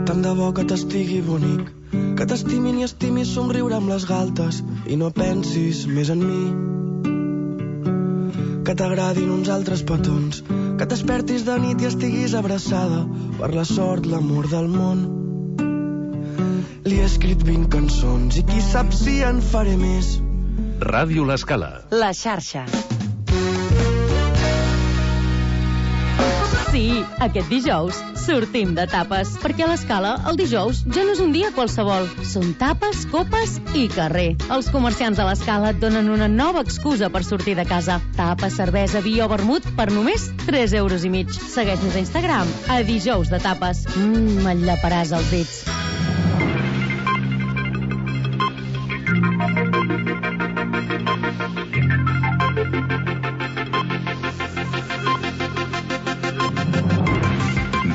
Tant de bo que t'estigui bonic, que t'estimin i estimis somriure amb les galtes i no pensis més en mi. Que t'agradin uns altres petons, que t'espertis de nit i estiguis abraçada per la sort, l'amor del món. Li he escrit 20 cançons i qui sap si en faré més. Ràdio L'Escala. La xarxa. Sí, aquest dijous sortim de tapes, perquè a l'Escala el dijous ja no és un dia qualsevol. Són tapes, copes i carrer. Els comerciants de l'Escala et donen una nova excusa per sortir de casa. Tapes, cervesa, vi o vermut per només 3,5 €. Segueix-nos a Instagram, a dijous de tapes. Me'n llaparàs els dits.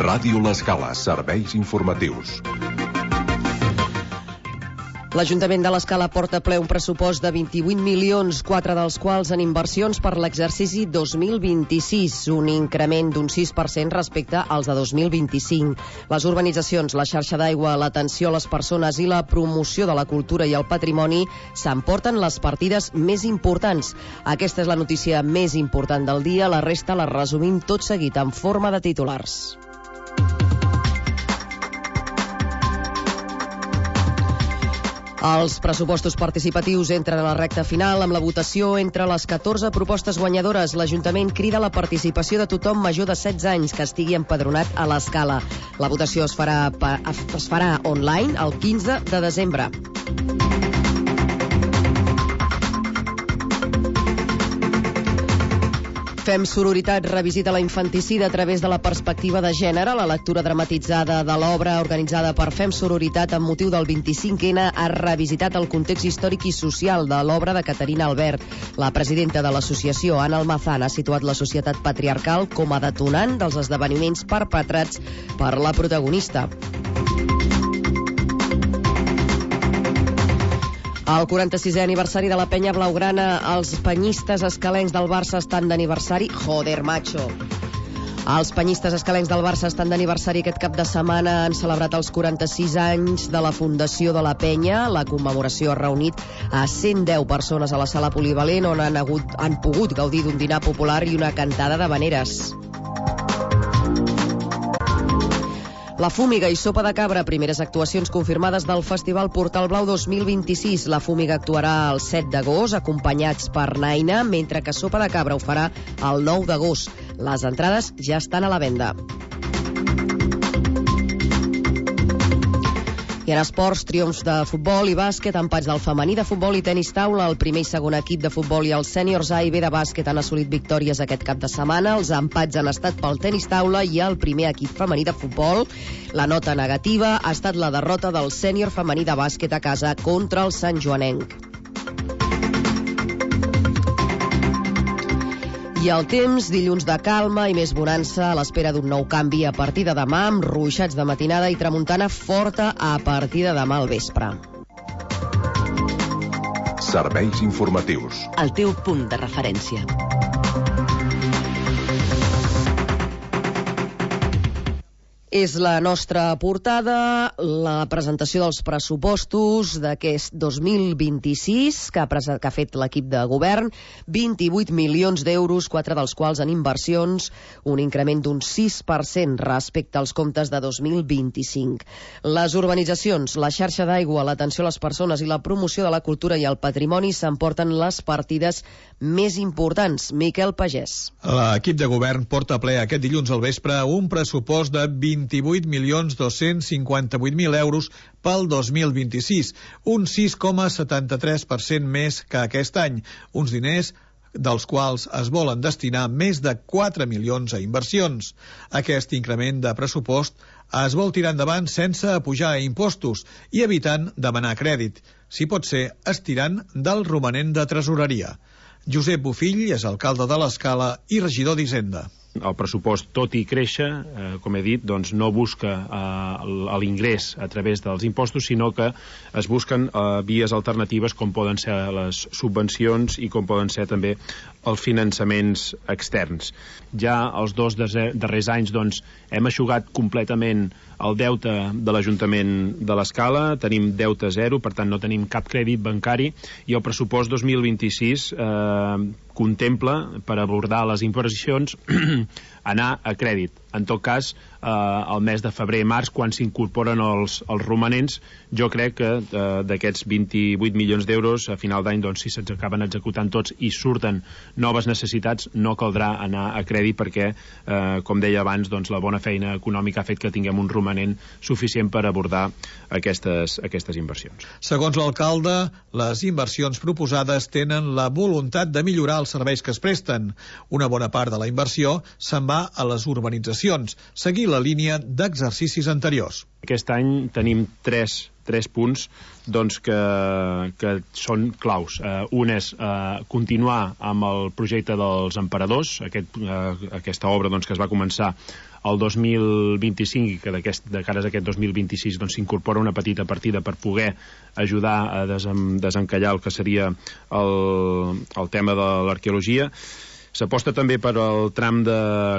Ràdio L'Escala, serveis informatius. L'Ajuntament de l'Escala porta ple un pressupost de 28 milions, 4 dels quals en inversions per l'exercici 2026, un increment d'un 6% respecte als de 2025. Les urbanitzacions, la xarxa d'aigua, l'atenció a les persones i la promoció de la cultura i el patrimoni s'emporten les partides més importants. Aquesta és la notícia més important del dia, la resta la resumim tot seguit en forma de titulars. Els pressupostos participatius entren a la recta final amb la votació entre les 14 propostes guanyadores. L'Ajuntament crida la participació de tothom major de 16 anys que estigui empadronat a l'Escala. La votació es farà online el 15 de desembre. Fem Sororitat revisita la infanticida a través de la perspectiva de gènere. La lectura dramatitzada de l'obra organitzada per Fem Sororitat amb motiu del 25N ha revisitat el context històric i social de l'obra de Caterina Albert. La presidenta de l'associació, Ana Almazán, ha situat la societat patriarcal com a detonant dels esdeveniments perpetrats per la protagonista. El 46è aniversari de la penya blaugrana, els penyistes escalencs del Barça estan d'aniversari. Joder, macho! Els penyistes escalencs del Barça estan d'aniversari aquest cap de setmana. Han celebrat els 46 anys de la fundació de la penya. La commemoració ha reunit a 110 persones a la sala polivalent on han pogut gaudir d'un dinar popular i una cantada d'havaneres. La Fúmiga i Sopa de Cabra, primeres actuacions confirmades del Festival Portal Blau 2026. La Fúmiga actuarà el 7 d'agost, acompanyats per Naina, mentre que Sopa de Cabra ho farà el 9 d'agost. Les entrades ja estan a la venda. I en esports, triomfs de futbol i bàsquet, empats del femení de futbol i tenis taula. El primer i segon equip de futbol i el sèniors A i B de bàsquet han assolit victòries aquest cap de setmana. Els empats han estat pel tenis taula i el primer equip femení de futbol. La nota negativa ha estat la derrota del sènior femení de bàsquet a casa contra el Sant Joanenc. I el temps, dilluns de calma i més bonança a l'espera d'un nou canvi a partir de demà, amb ruixats de matinada i tramuntana forta a partir de demà al vespre. Serveis informatius. El teu punt de referència. És la nostra portada, la presentació dels pressupostos d'aquest 2026 que ha fet l'equip de govern, 28 milions d'euros, 4 dels quals en inversions, un increment d'un 6% respecte als comptes de 2025. Les urbanitzacions, la xarxa d'aigua, l'atenció a les persones i la promoció de la cultura i el patrimoni s'emporten les partides més importants. Miquel Pagès. L'equip de govern porta a ple aquest dilluns al vespre un pressupost de 28.258.000 euros pel 2026, un 6,73% més que aquest any, uns diners dels quals es volen destinar més de 4 milions a inversions. Aquest increment de pressupost es vol tirar endavant sense apujar impostos i evitant demanar crèdit, si pot ser estirant del romanent de tresoreria. Josep Bofill és alcalde de l'Escala i regidor d'Hisenda. El pressupost, tot i créixer, com he dit, doncs no busca l'ingrés a través dels impostos, sinó que es busquen vies alternatives com poden ser les subvencions i com poden ser també els finançaments externs. Ja els 2 darrers anys doncs, hem eixugat completament el deute de l'Ajuntament de l'Escala, tenim deute zero, per tant no tenim cap crèdit bancari, i el pressupost 2026 contempla, per abordar les inversions, anar a crèdit. En tot cas, el mes de febrer-març, quan s'incorporen els romanents, jo crec que d'aquests 28 milions d'euros, a final d'any, doncs, si se'ns acaben executant tots i surten noves necessitats, no caldrà anar a crèdit perquè, com deia abans, doncs, la bona feina econòmica ha fet que tinguem un romanent suficient per abordar aquestes inversions. Segons l'alcalde, les inversions proposades tenen la voluntat de millorar els serveis que es presten. Una bona part de la inversió se'n va a les urbanitzacions, seguir la línia d'exercicis anteriors. Aquest any tenim tres punts doncs, que són claus. Un és continuar amb el projecte dels emperadors, aquesta obra doncs, que es va començar el 2025 i que de cara a aquest 2026 doncs, s'incorpora una petita partida per poder ajudar a desencallar el que seria el tema de l'arqueologia. S'aposta també per al tram de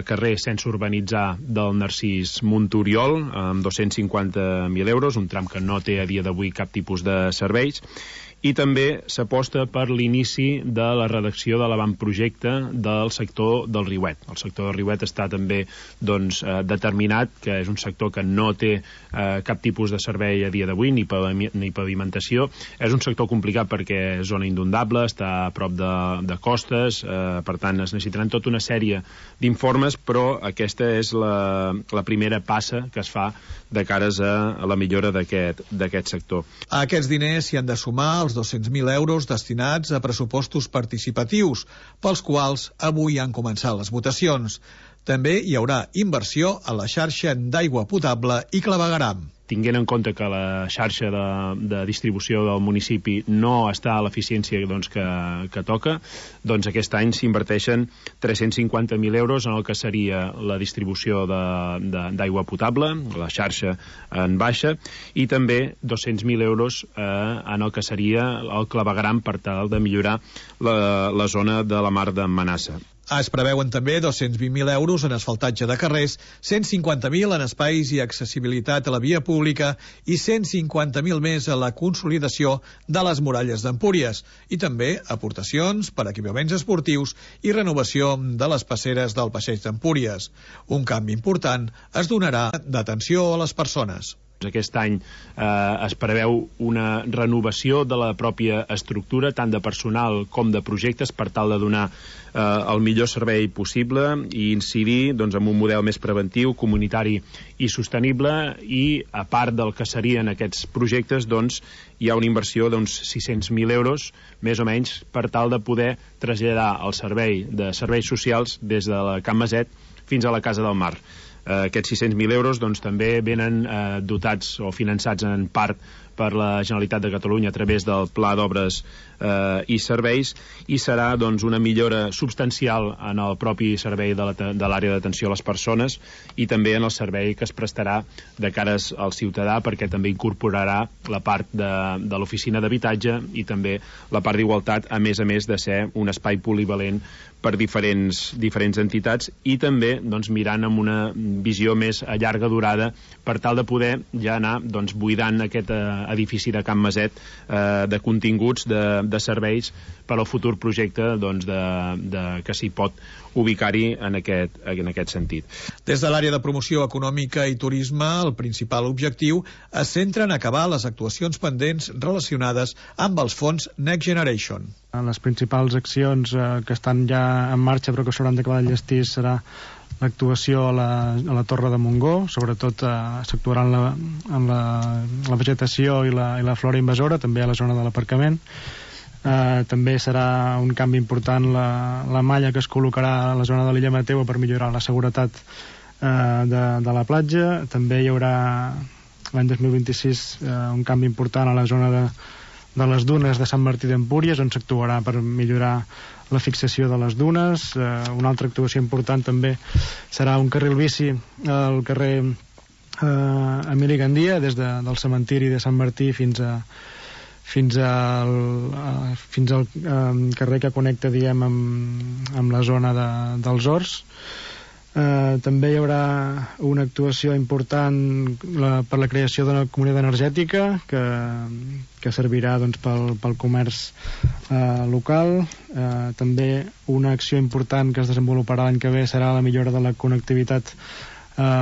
carrer sense urbanitzar del Narcís Monturiol, amb 250.000 euros, un tram que no té a dia d'avui cap tipus de serveis. I també s'aposta per l'inici de la redacció de l'avantprojecte del sector del Riuet. El sector del Riuet està també doncs, determinat, que és un sector que no té cap tipus de servei a dia d'avui, ni pavimentació. És un sector complicat perquè és zona inundable, està a prop de costes, per tant es necessitaran tota una sèrie d'informes, però aquesta és la primera passa que es fa de cares a la millora d'aquest sector. A aquests diners s'hi han de sumar els 200.000 euros destinats a pressupostos participatius, pels quals avui han començat les votacions. També hi haurà inversió a la xarxa d'aigua potable i clavegueram. Tinguent en compte que la xarxa de distribució del municipi no està a l'eficiència doncs, que toca, doncs aquest any s'inverteixen 350.000 euros en el que seria la distribució d'aigua potable, la xarxa en baixa, i també 200.000 euros en el que seria el clavegueram per tal de millorar la zona de la mar de Manassa. Es preveuen també 220.000 euros en asfaltatge de carrers, 150.000 en espais i accessibilitat a la via pública i 150.000 més a la consolidació de les muralles d'Empúries i també aportacions per equipaments esportius i renovació de les passeres del Passeig d'Empúries. Un canvi important es donarà d'atenció a les persones. Aquest any es preveu una renovació de la pròpia estructura, tant de personal com de projectes, per tal de donar el millor servei possible i incidir doncs, en un model més preventiu, comunitari i sostenible, i a part del que serien aquests projectes doncs, hi ha una inversió d'uns 600.000 euros, més o menys, per tal de poder traslladar el servei de serveis socials des de la Can Maset fins a la Casa del Mar. Aquests 600.000 euros doncs, també venen dotats o finançats en part per la Generalitat de Catalunya a través del Pla d'Obres i Serveis, i serà doncs, una millora substancial en el propi servei de l'àrea d'atenció a les persones i també en el servei que es prestarà de cares al ciutadà, perquè també incorporarà la part de l'oficina d'habitatge i també la part d'igualtat, a més de ser un espai polivalent per diferents entitats, i també doncs, mirant amb una visió més a llarga durada per tal de poder ja anar doncs, buidant aquest edifici de Can Maset de continguts, de serveis per al futur projecte doncs, que s'hi pot ubicar-hi en aquest sentit. Des de l'àrea de promoció econòmica i turisme, el principal objectiu es centra en acabar les actuacions pendents relacionades amb els fons Next Generation. Les principals accions que estan ja en marxa però que s'hauran d'acabar d'enllestir serà l'actuació a la Torre de Montgó, sobretot s'actuarà en la vegetació i la flora invasora, també a la zona de l'aparcament. També serà un canvi important la malla que es col·locarà a la zona de l'illa Mateu per millorar la seguretat de la platja. També hi haurà l'any 2026 un canvi important a la zona les dunes de Sant Martí d'Empúries, on s'actuarà per millorar la fixació de les dunes. Una altra actuació important també serà un carril bici al carrer Emili Gandia, des del cementiri de Sant Martí fins al carrer que connecta, diguem, amb la zona dels Horts. També hi haurà una actuació important per la creació d'una comunitat energètica que servirà, doncs, pel comerç local. També una acció important que es desenvoluparà l'any que ve serà la millora de la connectivitat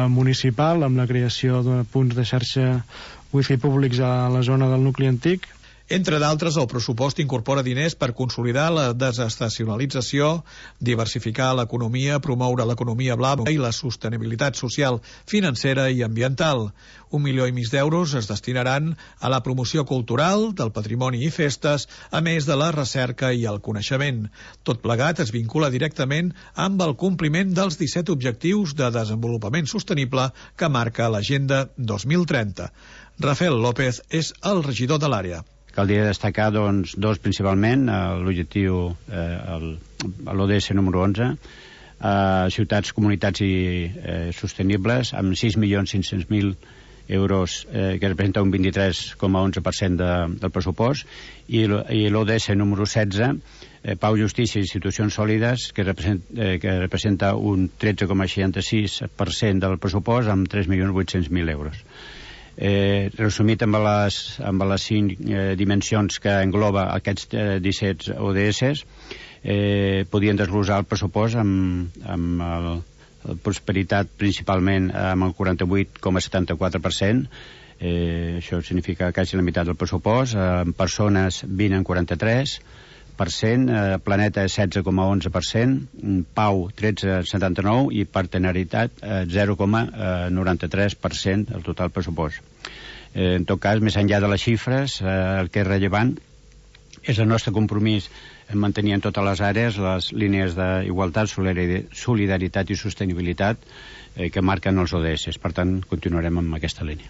municipal, amb la creació de punts de xarxa wifi públics a la zona del nucli antic. Entre d'altres, el pressupost incorpora diners per consolidar la desestacionalització, diversificar l'economia, promoure l'economia blava i la sostenibilitat social, financera i ambiental. 1,5 milions d'euros es destinaran a la promoció cultural, del patrimoni i festes, a més de la recerca i el coneixement. Tot plegat es vincula directament amb el compliment dels 17 objectius de desenvolupament sostenible que marca l'Agenda 2030. Rafael López és el regidor de l'àrea. Caldria destacar, doncs, dos principalment, l'objectiu, l'ODS número 11, ciutats, comunitats i sostenibles, amb 6.500.000 euros, que representa un 23,11% del pressupost, i l'ODS número 16, Pau, Justícia i Institucions Sòlides, que representa un 13,66% del pressupost, amb 3.800.000 euros. Resumit amb les 5 dimensions que engloba aquests 17 ODS, podien desglosar el pressupost amb la prosperitat principalment amb el 48,74%. Això significa quasi la meitat del pressupost. Persones 20 en 43%, planeta 16,11%, pau 13,79% i partenariat 0,93% del total pressupost. En tot cas, més enllà de les xifres, el que és rellevant és el nostre compromís en mantenir en totes les àrees les línies d'igualtat, solidaritat i sostenibilitat que marquen els ODS. Per tant, continuarem amb aquesta línia.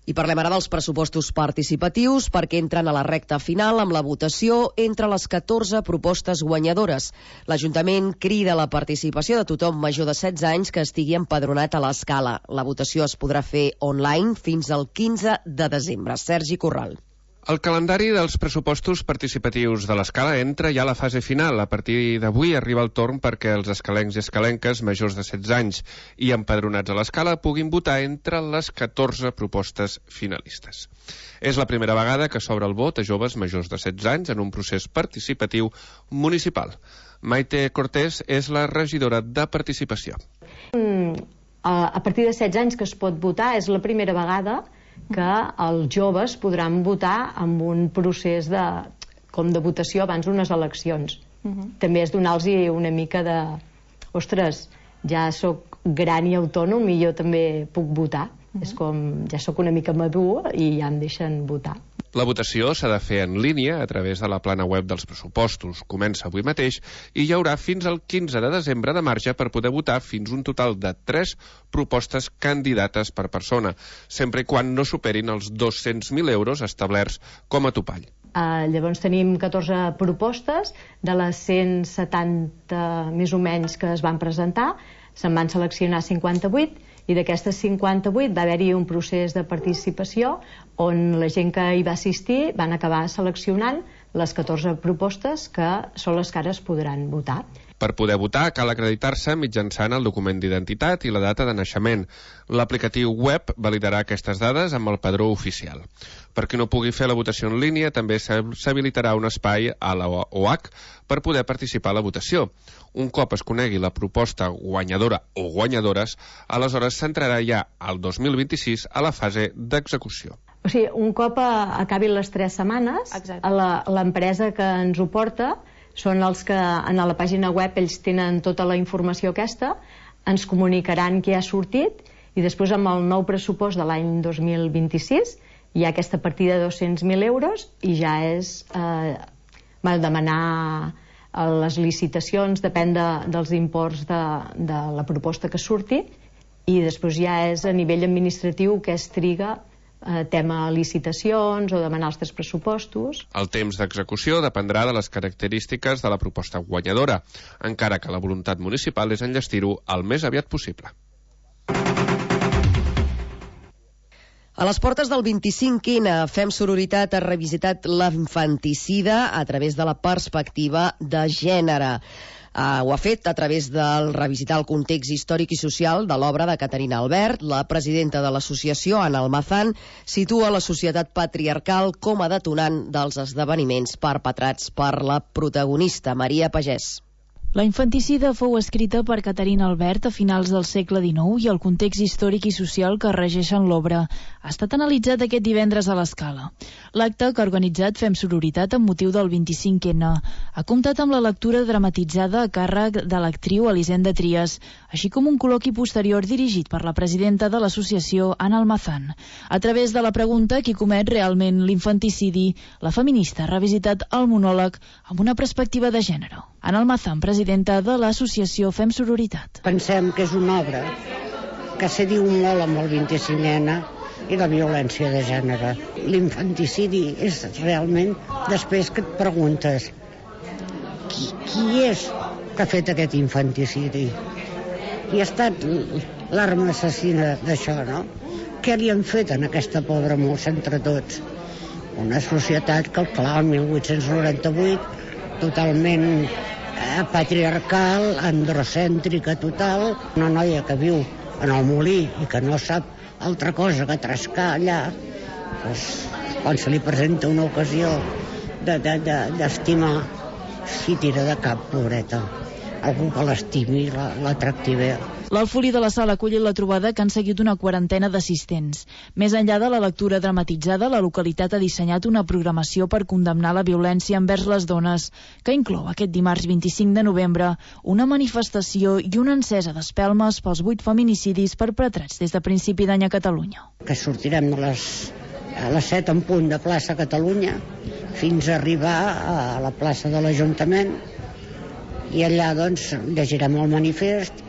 I parlem ara dels pressupostos participatius perquè entren a la recta final amb la votació entre les 14 propostes guanyadores. L'Ajuntament crida la participació de tothom major de 16 anys que estigui empadronat a l'Escala. La votació es podrà fer online fins al 15 de desembre. Sergi Corral. El calendari dels pressupostos participatius de l'Escala entra ja a la fase final. A partir d'avui arriba el torn perquè els escalencs i escalenques majors de 16 anys i empadronats a l'Escala puguin votar entre les 14 propostes finalistes. És la primera vegada que s'obre el vot a joves majors de 16 anys en un procés participatiu municipal. Maite Cortés és la regidora de participació. A partir de 16 anys que es pot votar, és la primera vegada que els joves podran votar amb un procés com de votació abans d'unes eleccions. També és donar-los una mica de ostres, ja sóc gran i autònom i jo també puc votar. És com, ja sóc una mica madur i ja em deixen votar. La votació s'ha de fer en línia a través de la plana web dels pressupostos. Comença avui mateix i hi haurà fins al 15 de desembre de marge per poder votar fins un total de 3 propostes candidates per persona, sempre i quan no superin els 200.000 euros establerts com a topall. Llavors tenim 14 propostes, de les 170 més o menys que es van presentar, se'n van seleccionar 58 i d'aquestes 58 va haver-hi un procés de participació on la gent que hi va assistir van acabar seleccionant les 14 propostes que són les que ara es podran votar. Per poder votar cal acreditar-se mitjançant el document d'identitat i la data de naixement. L'aplicatiu web validarà aquestes dades amb el padró oficial. Per qui no pugui fer la votació en línia, també s'habilitarà un espai a la OAC per poder participar a la votació. Un cop es conegui la proposta guanyadora o guanyadores, aleshores s'entrarà ja al 2026 a la fase d'execució. O sigui, un cop acabin les 3 setmanes, l'empresa que ens ho porta són els que en la pàgina web ells tenen tota la informació aquesta, ens comunicaran què ha sortit i després amb el nou pressupost de l'any 2026 hi ha aquesta partida de 200.000 euros i ja és demanar les licitacions, depèn dels imports de la proposta que surti i després ja és a nivell administratiu que es triga tema licitacions o demanar els 3 pressupostos. El temps d'execució dependrà de les característiques de la proposta guanyadora, encara que la voluntat municipal és enllestir-ho el més aviat possible. A les portes del 25N, Fem Sororitat ha revisitat l'infanticida a través de la perspectiva de gènere. Ho ha fet a través del revisitar el context històric i social de l'obra de Caterina Albert. La presidenta de l'associació, Ana Almazán, situa la societat patriarcal com a detonant dels esdeveniments perpetrats per la protagonista, Maria Pagès. La infanticida fou escrita per Caterina Albert a finals del segle XIX i el context històric i social que regeixen l'obra ha estat analitzat aquest divendres a l'Escala. L'acte, que ha organitzat Fem Sororitat amb motiu del 25N, ha comptat amb la lectura dramatitzada a càrrec de l'actriu Elisenda Trias, així com un col·loqui posterior dirigit per la presidenta de l'associació, Ana Almazán. A través de la pregunta qui comet realment l'infanticidi, la feminista ha revisitat el monòleg amb una perspectiva de gènere. Ana Almazán, presidenta de l'associació Fem Sororitat. Pensem que és una obra que se diu molt amb el 25N i la violència de gènere. L'infanticidi és realment, després que et preguntes qui és que ha fet aquest infanticidi? Qui ha estat l'arma assassina d'això, no? Què li han fet en aquesta pobra molts entre tots? Una societat que, clar, el 1898, totalment patriarcal, androcèntrica total, una noia que viu en el molí i que no sap altra cosa que trascar allà, doncs, quan se li presenta una ocasió d'estimar, s'hi tira de cap, pobreta. Algú que l'estimi, l'atractivi. L'Alfolí de la Sala ha acollit la trobada que han seguit una quarantena d'assistents. Més enllà de la lectura dramatitzada, la localitat ha dissenyat una programació per condemnar la violència envers les dones, que inclou aquest dimarts 25 de novembre una manifestació i una encesa d'espelmes pels 8 feminicidis perpetrats des de principi d'any a Catalunya. Que sortirem a les 7 en punt de plaça Catalunya fins a arribar a la plaça de l'Ajuntament, i allà doncs llegirem el manifest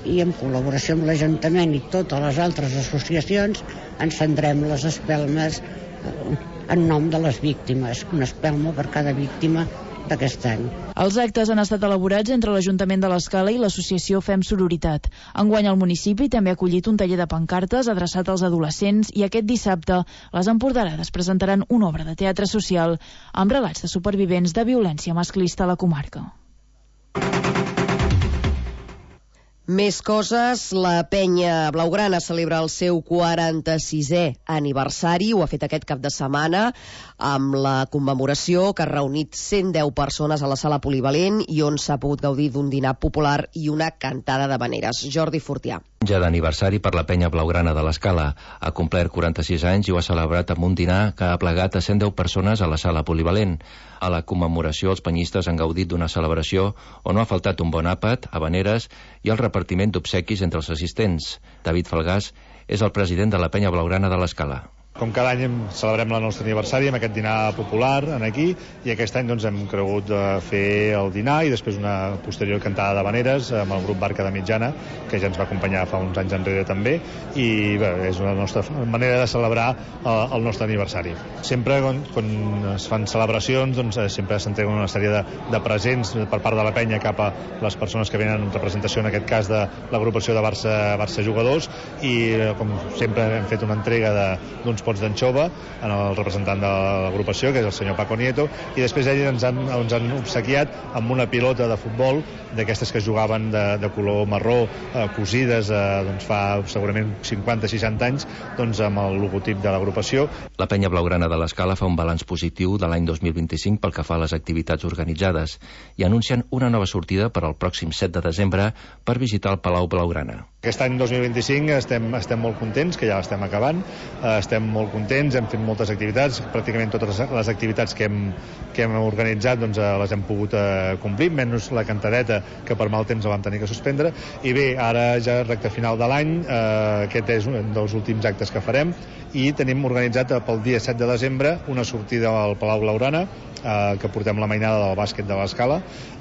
i en col·laboració amb l'Ajuntament i totes les altres associacions encendrem les espelmes en nom de les víctimes, una espelma per cada víctima d'aquest any. Els actes han estat elaborats entre l'Ajuntament de l'Escala i l'associació Fem Sororitat. Enguany el municipi també ha acollit un taller de pancartes adreçat als adolescents i aquest dissabte les empordanades presentaran una obra de teatre social amb relats de supervivents de violència masclista a la comarca. Més coses, la penya blaugrana celebra el seu 46è aniversari, ho ha fet aquest cap de setmana amb la commemoració que ha reunit 110 persones a la sala polivalent i on s'ha pogut gaudir d'un dinar popular i una cantada d'habaneres. Jordi Fortià. Ja d'aniversari per la penya blaugrana de l'Escala. Ha complert 46 anys i ho ha celebrat amb un dinar que ha plegat a 110 persones a la sala polivalent. A la commemoració, els penyistes han gaudit d'una celebració on no ha faltat un bon àpat, habaneres i el repartiment d'obsequis entre els assistents. David Falgàs és el president de la penya blaugrana de l'Escala. Com cada any celebrem el nostre aniversari amb aquest dinar popular aquí, i aquest any doncs, hem cregut fer el dinar i després una posterior cantada d'habaneres amb el grup Barca de Mitjana, que ja ens va acompanyar fa uns anys enrere també, i bé, és la nostra manera de celebrar el nostre aniversari. Sempre quan es fan celebracions doncs, sempre s'entreguen una sèrie de presents per part de la penya cap a les persones que venen en representació, en aquest cas de l'agrupació de Barça Jugadors, i com sempre hem fet una entrega d'uns pots d'anxova en el representant de l'agrupació, que és el senyor Paco Nieto, i després ells ens han obsequiat amb una pilota de futbol d'aquestes que jugaven de color marró, cosides doncs fa segurament 50-60 anys, doncs amb el logotip de l'agrupació. La penya blaugrana de l'Escala fa un balanç positiu de l'any 2025 pel que fa a les activitats organitzades i anuncien una nova sortida per al pròxim 7 de desembre per visitar el Palau Blaugrana. Aquest any 2025 estem molt contents, que ja l'estem acabant, estem molt contents, hem fet moltes activitats, pràcticament totes les activitats que hem organitzat doncs, les hem pogut complir, menys la cantadeta, que per mal temps la vam tenir que suspendre, i bé, ara ja recte final de l'any, aquest és un dels últims actes que farem, i tenim organitzat pel dia 7 de desembre una sortida al Palau Blaugrana, que portem la mainada del bàsquet de l'Escala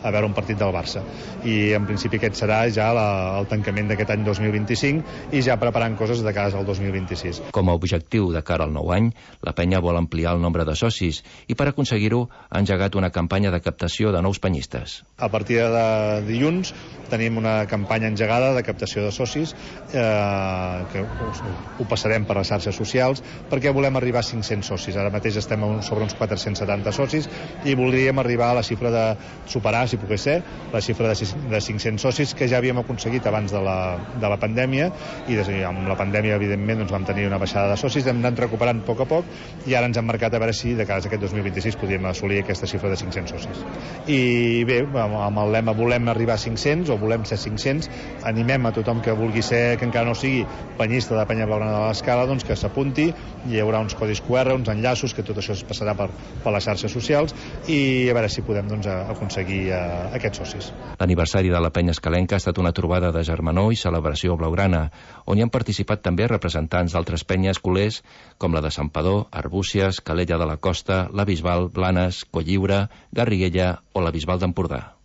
a veure un partit del Barça, i en principi aquest serà ja el tancament d'aquest any 2025 i ja preparant coses de cara al 2026. Com a objectiu de cara al nou any, la penya vol ampliar el nombre de socis i per aconseguir-ho ha engegat una campanya de captació de nous penyistes. A partir de dilluns tenim una campanya engegada de captació de socis que ho passarem per les xarxes socials perquè volem arribar a 500 socis. Ara mateix estem sobre uns 470 socis i voldríem arribar a la xifra de superar, si pogués ser, la xifra de 500 socis que ja havíem aconseguit abans de la pandèmia i amb la pandèmia evidentment vam tenir una baixada de socis, hem anat recuperant a poc i ara ens hem marcat a veure si de cara a aquest 2026 podríem assolir aquesta xifra de 500 socis. I bé, amb el lema volem arribar a 500 o volem ser 500, animem a tothom que vulgui ser, que encara no sigui penyista de Penya Blaugrana de l'Escala, doncs que s'apunti, hi haurà uns codis QR, uns enllaços, que tot això es passarà per les xarxes socials i a veure si podem aconseguir aquests socis. L'aniversari de la penya escalenca ha estat una trobada de germanor i celebració blaugrana, on hi han participat també representants d'altres penyes culers com la de Santpedor, Arbúcies, Calella de la Costa, la Bisbal, Blanes, Colliure, Garriguella o la Bisbal d'Empordà.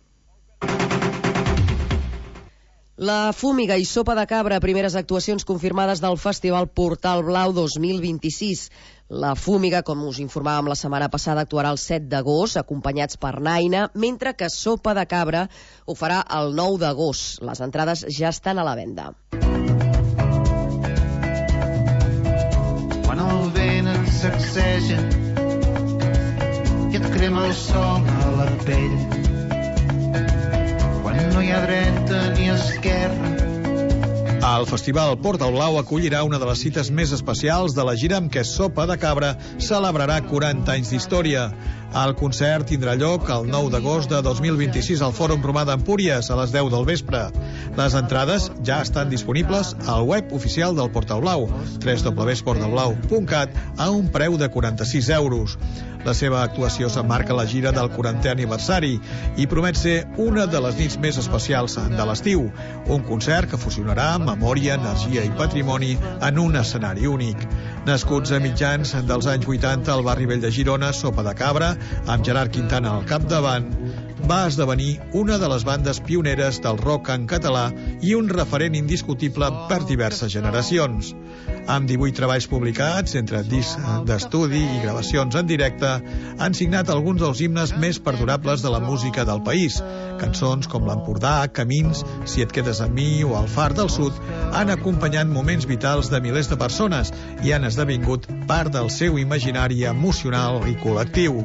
La Fúmiga i Sopa de Cabra, primeres actuacions confirmades del Festival Portal Blau 2026. La Fúmiga, com us informàvem la setmana passada, actuarà el 7 d'agost, acompanyats per Naina, mentre que Sopa de Cabra ho farà el 9 d'agost. Les entrades ja estan a la venda. Quan el vent ens sacseja i et crema el sol a la pell, quan no hi ha dreta ni esquerra. El Festival Portal Blau acollirà una de les cites més especials de la gira amb què Sopa de Cabra celebrarà 40 anys d'història. El concert tindrà lloc el 9 d'agost de 2026 al Fòrum Romà d'Empúries a les 10 del vespre. Les entrades ja estan disponibles al web oficial del Portal Blau, www.portalblau.cat, a un preu de 46 euros. La seva actuació s'emmarca a la gira del 40è aniversari i promet ser una de les nits més especials de l'estiu. Un concert que fusionarà memòria, energia i patrimoni en un escenari únic. Nascuts a mitjans dels anys 80 al barri vell de Girona, Sopa de Cabra, amb Gerard Quintana al capdavant, va esdevenir una de les bandes pioneres del rock en català i un referent indiscutible per diverses generacions. Amb 18 treballs publicats, entre discs d'estudi i gravacions en directe, han signat alguns dels himnes més perdurables de la música del país. Cançons com l'Empordà, Camins, Si et quedes amb mi o El far del sud han acompanyat moments vitals de milers de persones i han esdevingut part del seu imaginari emocional i col·lectiu.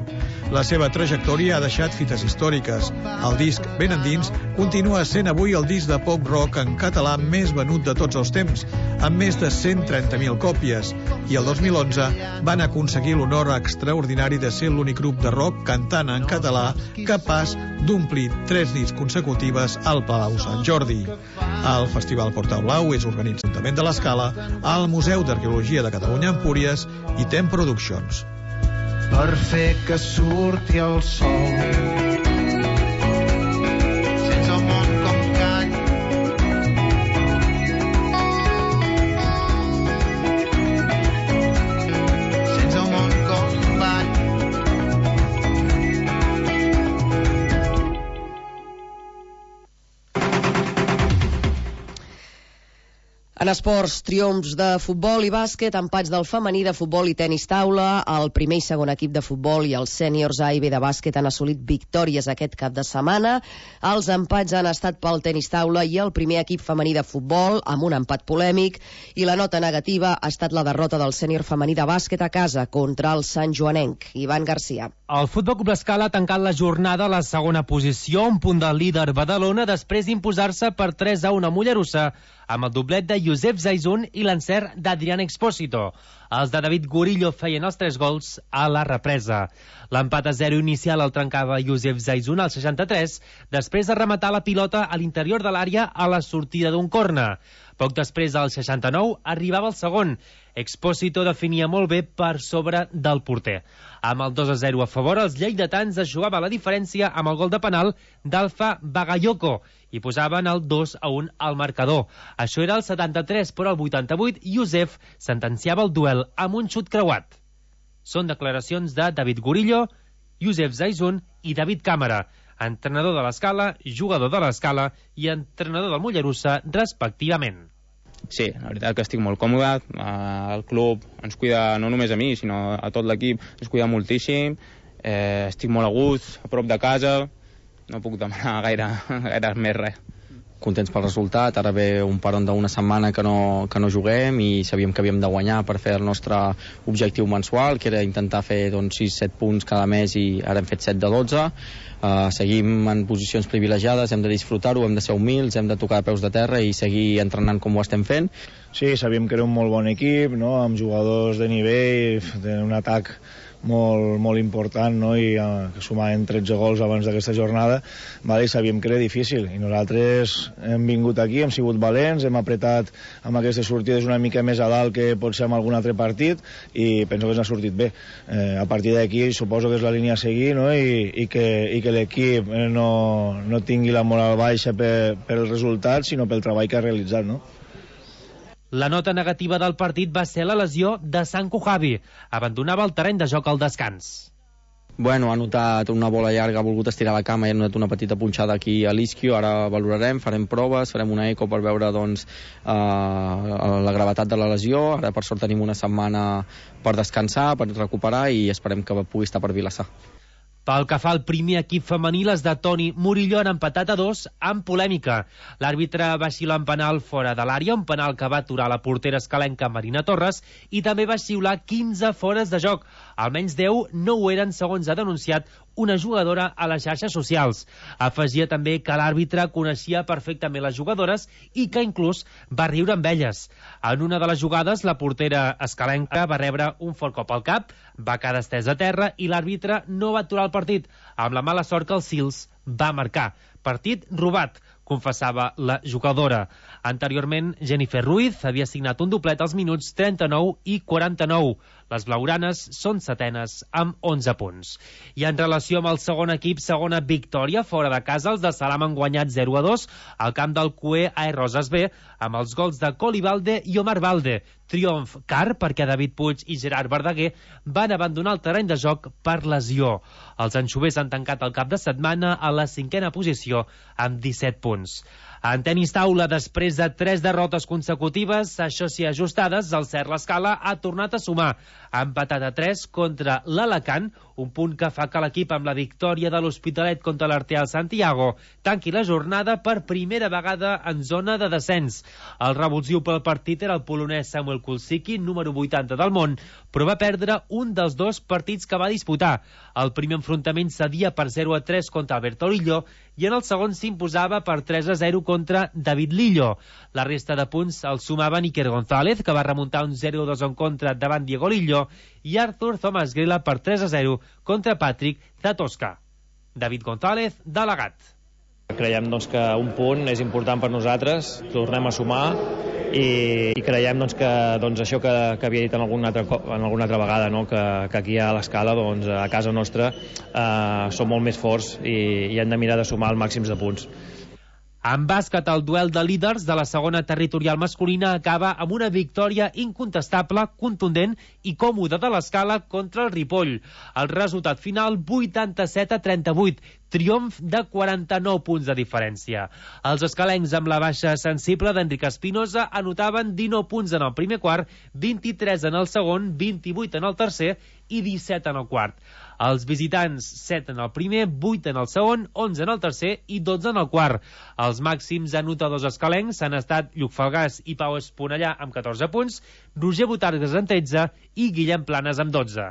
La seva trajectòria ha deixat fites històriques. El disc Ben Endins continua sent avui el disc de pop rock en català més venut de tots els temps, amb més de 130.000 còpies, i el 2011 van aconseguir l'honor extraordinari de ser l'únic grup de rock cantant en català capaç d'omplir 3 nits consecutives al Palau Sant Jordi. El Festival Portal Blau és organitzat l'Ajuntament de l'Escala, al Museu d'Arqueologia de Catalunya Empúries i Tem Productions. Per fer que surti el sol, sense el món com call, sense el món com ball. En esports, triomfs de futbol i bàsquet, empats del femení de futbol i tenis taula, el primer i segon equip de futbol i els sèniors A i B de bàsquet han assolit victòries aquest cap de setmana. Els empats han estat pel tenis taula i el primer equip femení de futbol, amb un empat polèmic, i la nota negativa ha estat la derrota del sènior femení de bàsquet a casa contra el Sant Joanenc. Ivan Garcia. El Futbol Club Escala ha tancat la jornada a la segona posició, un punt del líder Badalona, després d'imposar-se per 3-1 a Mollerussa, amb el doblet de Josep Zaizun i l'encert d'Adrián Expósito. Els de David Gurillo feien els 3 gols a la represa. L'empat a 0 inicial el trencava Josep Zaizun al 63, després de rematar la pilota a l'interior de l'àrea a la sortida d'un córner. Poc després, al 69, arribava el segon. Expósito definia molt bé per sobre del porter. Amb el 2-0 a favor, els lleidatans es jugava la diferència amb el gol de penal d'Alfa Bagayoko i posaven el 2-1 al marcador. Això era el 73, però al 88 Josef sentenciava el duel amb un xut creuat. Són declaracions de David Gurillo, Josef Zaizun i David Càmera, entrenador de l'Escala, jugador de l'Escala i entrenador del Mollerussa, respectivament. Sí, la veritat que estic molt còmode, el club ens cuida no només a mi, sinó a tot l'equip, ens cuida moltíssim, estic molt a gust, a prop de casa, no puc demanar gaire més res. Contents pel resultat, ara ve un paron d'una setmana que no juguem i sabíem que havíem de guanyar per fer el nostre objectiu mensual, que era intentar fer 6-7 punts cada mes i ara hem fet 7 de 12. Seguim en posicions privilegiades, hem de disfrutar-ho, hem de ser humils, hem de tocar a peus de terra i seguir entrenant com ho estem fent. Sí, sabíem que era un molt bon equip, no? Amb jugadors de nivell, d'un atac molt important, no? I que sumaven 13 gols abans d'aquesta jornada, vale? I sabíem que era difícil i nosaltres hem vingut aquí, hem sigut valents, hem apretat amb aquestes sortides una mica més a dalt que pot ser amb algun altre partit i penso que ens ha sortit bé. A partir d'aquí suposo que és la línia a seguir, no? I que l'equip no tingui la moral baixa pel resultat, sinó pel treball que ha realitzat, no? La nota negativa del partit va ser la lesió de Sanko Javi. Abandonava el terreny de joc al descans. Bueno, ha notat una bola llarga, ha volgut estirar la cama i ha notat una petita punxada aquí a l'isquio. Ara valorarem, farem proves, farem una eco per veure la gravetat de la lesió. Ara per sort tenim una setmana per descansar, per recuperar i esperem que pugui estar per Vilassar. Pel que fa al primer equip femení, les de Toni Murillo han empatat a 2 amb polèmica. L'àrbitre va xiular un penal fora de l'àrea, un penal que va aturar la portera escalenca Marina Torres, i també va xiular 15 fores de joc. Almenys 10 no ho eren, segons ha denunciat una jugadora a les xarxes socials. Afegia també que l'àrbitre coneixia perfectament les jugadores i que inclús va riure amb elles. En una de les jugades, la portera escalenca va rebre un fort cop al cap, va quedar estesa a terra i l'àrbitre no va aturar el partit, amb la mala sort que el Sils va marcar. Partit robat, confessava la jugadora. Anteriorment, Jennifer Ruiz havia signat un doblet als minuts 39 i 49. Les blaugranes són setenes amb 11 punts. I en relació amb el segon equip, segona victòria fora de casa, els de Salam han guanyat 0-2 al camp del CUE AE Roses B amb els gols de Colibalde i Omar Valde. Triomf car perquè David Puig i Gerard Verdaguer van abandonar el terreny de joc per lesió. Els anxovers han tancat el cap de setmana a la 5a posició amb 17 punts. En tenis taula, després de 3 derrotes consecutives, això sí ajustades, el Cert l'Escala ha tornat a sumar. Ha empatat a 3 contra l'Alacant, un punt que fa que l'equip amb la victòria de l'Hospitalet contra l'Arteal Santiago tanqui la jornada per primera vegada en zona de descens. El revulsiu pel partit era el polonès Samuel Kulsicki, número 80 del món, però va perdre un dels 2 partits que va disputar. El primer enfrontament cedia per 0-3 contra Alberto Lillo i en el segon s'imposava per 3-0 contra David Lillo. La resta de punts el sumaven Iker González, que va remuntar un 0-2 en contra davant Diego Lillo, i Arthur Thomas Grela per 3-0 contra Patrick Zatosca. David González, delegat. Creiem que un punt és important per nosaltres, tornem a sumar i creiem que això que havia dit en alguna altra vegada, que aquí a l'Escala, a casa nostra, som molt més forts i hem de mirar de sumar el màxim de punts. En bàsquet, el duel de líders de la segona territorial masculina acaba amb una victòria incontestable, contundent i còmoda de l'Escala contra el Ripoll. El resultat final, 87-38, triomf de 49 punts de diferència. Els escalencs, amb la baixa sensible d'Enric Espinosa, anotaven 19 punts en el primer quart, 23 en el segon, 28 en el tercer i 17 en el quart. Els visitants, 7 en el primer, 8 en el segon, 11 en el tercer i 12 en el quart. Els màxims anotadors escalencs han estat Lluc Falgàs i Pau Esponellà amb 14 punts, Roger Botargues amb 13 i Guillem Planes amb 12.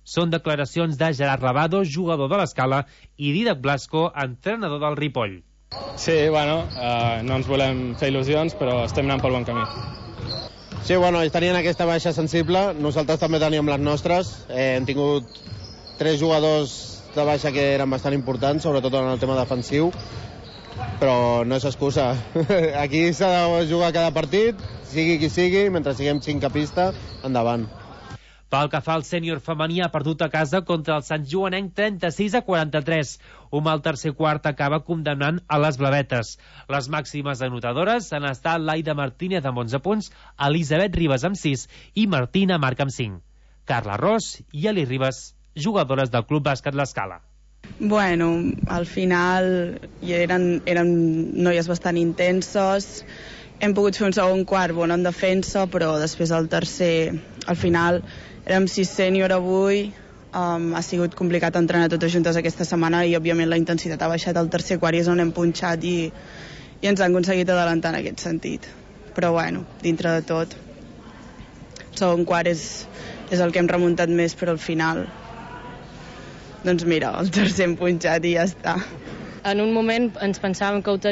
Són declaracions de Gerard Lavado, jugador de l'Escala, i Didac Blasco, entrenador del Ripoll. Sí, no ens volem fer il·lusions, però estem anant pel bon camí. Sí, ells tenien aquesta baixa sensible, nosaltres també teníem les nostres. Hem tingut 3 jugadors de baixa que eren bastant importants, sobretot en el tema defensiu, però no és excusa. Aquí s'ha de jugar cada partit, sigui qui sigui, mentre siguem 5 a pista, endavant. Pel que fa al sènior femení, ha perdut a casa contra el Sant Joanenc 36-43. Un mal tercer quart acaba condemnant a les blavetes. Les màximes anotadores han estat Laida Martínez amb 11 punts, Elisabet Ribas amb 6 i Martina Marc amb 5. Carla Ros i Eli Ribas, jugadores del Club Bàsquet l'Escala. Al final eren noies bastant intenses hem pogut fer un segon quart bon en defensa, però després el tercer, al final, érem 6 sènior avui, ha sigut complicat entrenar totes juntes aquesta setmana i, òbviament, la intensitat ha baixat al tercer quart i és on hem punxat i ens han aconseguit adelantar en aquest sentit. Però, bueno, dintre de tot, el segon quart és el que hem remuntat més, però al final, doncs mira, el tercer hem punxat i ja està. En un moment ens pensàvem que ho